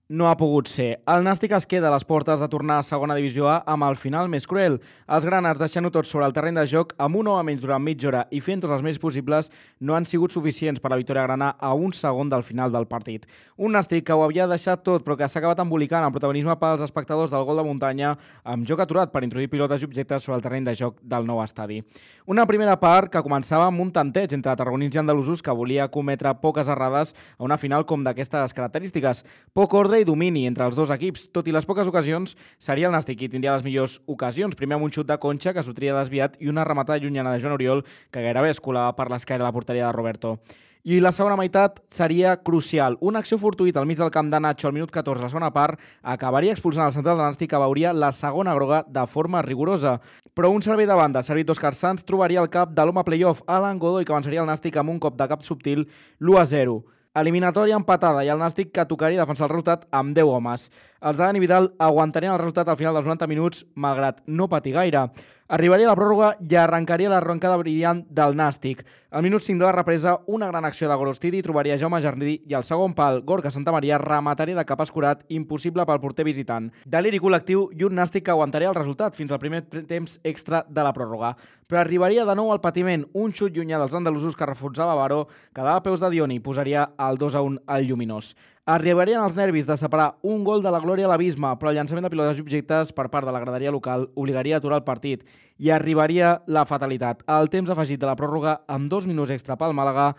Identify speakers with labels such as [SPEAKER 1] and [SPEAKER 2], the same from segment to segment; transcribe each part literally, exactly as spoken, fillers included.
[SPEAKER 1] No ha pogut ser. El Nàstic es queda a les portes de tornar a segona divisió A amb el final més cruel. Els granars, deixant-ho tot sobre el terreny de joc, amb un home menys durant mitja hora i fent tots els més possibles, no han sigut suficients per a la victòria grana a un segon del final del partit. Un Nàstic que ho havia deixat tot, però que s'ha acabat embolicant el protagonisme pels espectadors del gol de muntanya, amb joc aturat per introduir pilotes i objectes sobre el terreny de joc del nou estadi. Una primera part que començava amb un tanteig entre tarragonins i andalusos que volia cometre poques errades a una final com d'aquestes característiques. Poc ordre i domini entre els dos equips. Tot i les poques ocasions, seria el Nàstic qui tindria les millors ocasions. Primer amb un xut de Concha, que s'ho tria desviat, i una rematada llunyana de Joan Oriol, que gairebé es colava per l'esquerra de la porteria de Roberto. I la segona meitat seria crucial. Una acció fortuïta al mig del camp de Nacho al minut catorze, la segona part, acabaria expulsant el central de Nàstic, que veuria la segona groga de forma rigorosa. Però un servei de banda, servit d'Òscar Sanz, trobaria el cap de l'home playoff, Alan Godoy, que avançaria el Nàstic amb un cop de cap subtil, l'u a zero. Eliminatòria empatada i el Nàstic que tocaria defensar el resultat amb deu homes. Els de Dani Vidal aguantarien el resultat al final dels noranta minuts, malgrat no patir gaire. Arribaria la pròrroga i arrencaria l'arrencada brillant del Nàstic. Al minut cinc de la represa, una gran acció de Gorostidi trobaria Jaume Jardí i al segon pal, Gorka Santamaria remataria de cap escurat, impossible pel porter visitant. Deliri col·lectiu i un Nàstic que aguantaria el resultat fins al primer temps extra de la pròrroga. Però arribaria de nou al patiment, un xut llunyà dels andalusos que reforçava Baró, quedava a peus de Dioni i posaria el dos a un al Lluminós. Arribarien els nervis de separar un gol de la glòria a l'abisme, però el llançament de pilotes i objectes per part de la graderia local obligaria a aturar el partit i arribaria la fatalitat. Al temps afegit de la pròrroga, amb dos minuts extra pel Màlaga,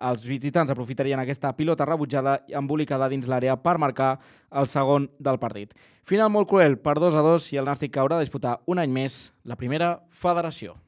[SPEAKER 1] els visitants aprofitarien aquesta pilota rebutjada i embolicada dins l'àrea per marcar el segon del partit. Final molt cruel per dos a dos i el Nàstic que haurà de disputar un any més la primera federació.